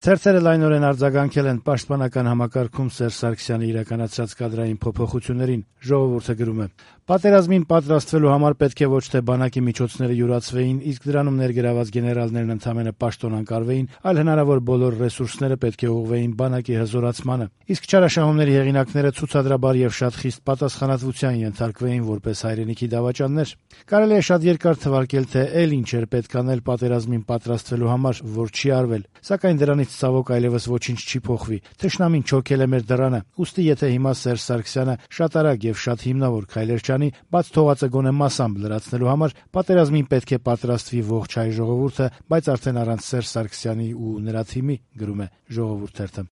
Ցերցերը լայնորեն արձագանքել են պաշտպանական համակարգում Սերժ Սարգսյանի իրականացրած կադրային փոփոխություններին։ Ժողովուրդը գրում է. «Պատերազմին պատրաստվելու համար պետք է ոչ թե բանակի միջոցները յուրացվեին, իսկ դրանում ներգրաված գեներալներն ընդամենը պաշտոնանկարվեին, այլ հնարավոր բոլոր ռեսուրսները պետք է ուղղվեին բանակի հզորացմանը, իսկ չարաշահումների հեղինակները ցուցադրաբար եւ շատ խիստ պատասխանատվության ենթարկվեին որպես հայրենիքի դավաճաններ։ Կարելի է շատ երկար թվարկել, թե էլ ինչ էր պետք անել պատերազմին պատրաստվելու համար, որ չի արվել, սակայն դրանից ցավոք այլևս ոչինչ չի փոխվի։ Թշնամին չոքել է մեր դռանը, ուստի եթե հիմա Սերժ Սարգսյանը շատ արագ եւ շատ հիմնավոր քայլեր չանի, բաց թողածը գոնե մասամբ լրացնելու համար, պատերազմին պետք է պատրաստվի ողջ հայ ժողովուրդը, բայց արդեն առանց Սերժ Սարգսյանի ու նրա թիմի», գրում է Ժողովուրդ թերթը։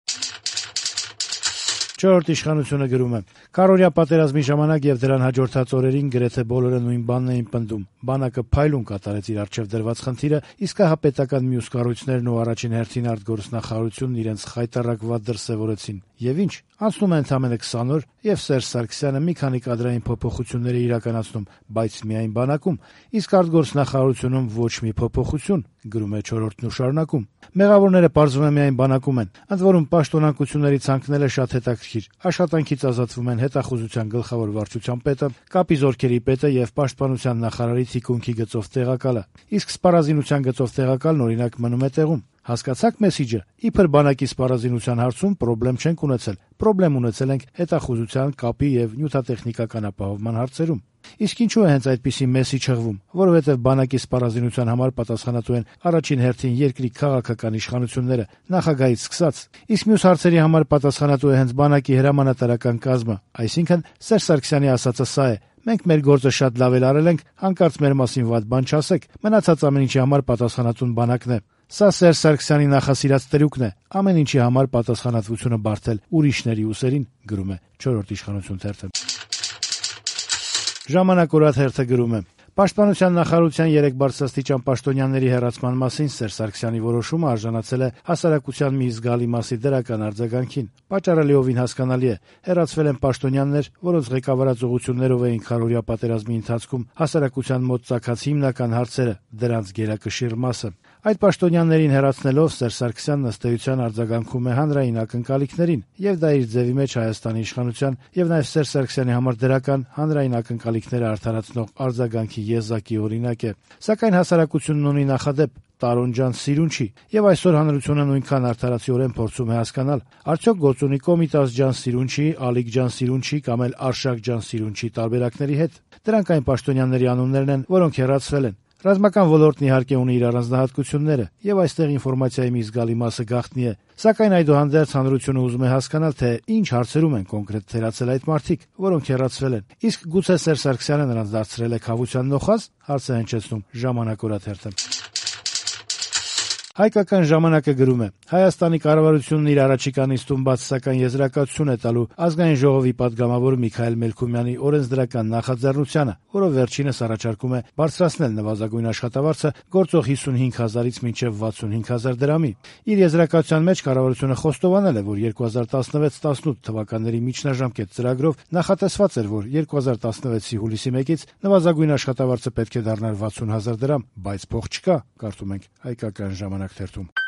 Չորրորդ իշխանությունը գրում է. «Քառօրյա պատերազմի ժամանակ եւ դրան հաջորդած օրերին գրեթե բոլորը նույն բանն էին պնդում. բանակը փայլուն կատարեց իր առջեւ դրված խնդիրը, իսկ հա պետական մյուս կառույցներն ու առաջին հերթին արտգործնախարարությունն իրենց խայտառակ վատ դրսեւորեցին։ Եվ ինչ, անցնում է ընդամենը 20 օր, եւ Սերժ Սարգսյանը մի քանի կադրային փոփոխություններ է իրականացնում, բայց միայն բանակում, իսկ արտգործնախարարությունում ոչ մի փոփոխություն», գրում է Չորրորդն ու շարունակում. «Մեղավորները պարզվում է միայն բանակում են, ընդ որում պաշտոնակությունների ցանկն էլ շատ հետաքրքիր։ Աշխատանքից ազատվում են հետախուզության գլխավոր վարչության պետը, կապի զորքերի պետը եւ պաշտպանության նախարարի թիկունքի գծով տեղակալը, իսկ սպառազինության գծով տեղակալն օրինակ մնում է տեղում։ Հասկացա՞ք մեսիջը։ Իբր բանակի սպառազինության հարցում պրոբլեմ չենք ունեցել, պրոբլեմ ունեցել ենք հետախուզության, կապի եւ նյութատեխնիկական ապահովման հարցերում։ Իսկ ինչու է հենց այդպիսի մեսիջ հղվում, որովհետեւ բանակի սպառազինության համար պատասխանատու են առաջին հերթին երկրի քաղաքական իշխանությունները, նախագահից սկսած, իսկ մյուս հարցերի համար պատասխանատու է հենց բանակի հրամանատարական կազմը, այսինքն Սերժ Սարգսյանի ասածը սա է. մենք մեր գործը շատ լավ էլ արել ենք, հանկարծ մեր մասին վատ բան չասեք, մնացած ամեն ինչի համար պատասխանատուն բանակն է։ Սա Սերժ Սարգսյանի նախասիրած տրյուկն է, ամեն ինչի համար պատասխանատվությունը բարթել ուրիշների ուսերին», գրում է Չորրորդ իշխանություն թերթը։ Ժամանակ օրաթերթը գրում է. Պաշտպանության նախարարության 3 բարձրաստիճան պաշտոնյաների հեռացման մասին Սերժ Սարգսյանի որոշումը արժանացել է հասարակության մի զգալի մասի դրական արձագանքին։ Պատճառը լիովին հասկանալի է։ Հեռացվել են պաշտոնյաներ, որոնց ղեկավարած ուղղություններով էին քառօրյա պատերազմի ընթացքում հասարակության մոտ ծագած հիմնական հարցերը, դրանց գերակշիռ մասը։ Այդ պաշտոնյաներին հեռացնելով Սերժ Սարգսյանն ըստ էության արձագանքում է հանրային ակնկալիքներին, եւ դա իր ձևի մեջ Հայաստանի իշխանության եւ նաեւ Սերժ Սարգսյանի համար դրական հանրային ակնկալիքները արդարացնող արձագանքի եզակի օրինակ է։ Սակայն հասարակությունն ունի նախադեպ՝ Տարոնջան սիրուն չի, եւ այսօր հանրությունը նույնքան արդարացիորեն փորձում է հասկանալ, արդյոք գործունի Կոմիտաս ջան սիրուն չի, Ալիկ ջան սիրուն չի կամ էլ Արշակ ջան սիրուն չի տարբերակների հետ։ Դրանք այն պաշտոնյաների անուններն են, որոնք հեռացվել են։ Ռազմական ոլորտն իհարկե ունի իր առանձնահատկությունները, եւ այստեղ ինֆորմացիայի մի զգալի մասը գաղտնի է, սակայն այդուհանդերձ հանրությունը ուզում է հասկանալ, թե ինչ հարցերում են կոնկրետ թերացել այդ մարդիկ, որոնք հեռացվել են։ Իսկ գուցե Սերժ Սարգսյանը նրանց դարձրել է քավության նոխազ, հարց է հնչեցնում Ժամանակ օրաթերթը։ Հայկական ժամանակը գրում է. Հայաստանի կառավարությունն իր առաջիկա նիստում բաց սակայն եզրակացություն է տալու ազգային ժողովի падգամավոր Միքայել Մելքումյանի օրենսդրական նախաձեռնությանը, որով վերջինս առաջարկում է բարձրացնել նվազագույն աշխատավարձը գործող 55,000-ից մինչև 65,000 դրամի։ Իր եզրակացության մեջ կառավարությունը խոստովանել է, որ 2016-18 թվականների միջնաժամկետ ծրագրով նախատեսված էր, որ 2016-ի հուլիսի 1-ից նվազագույն աշխատավարձը պետք է դառնար 60,000 դրամ, բայց փող չկա, կարդում ենք Հայկական ժամանակ թերթում։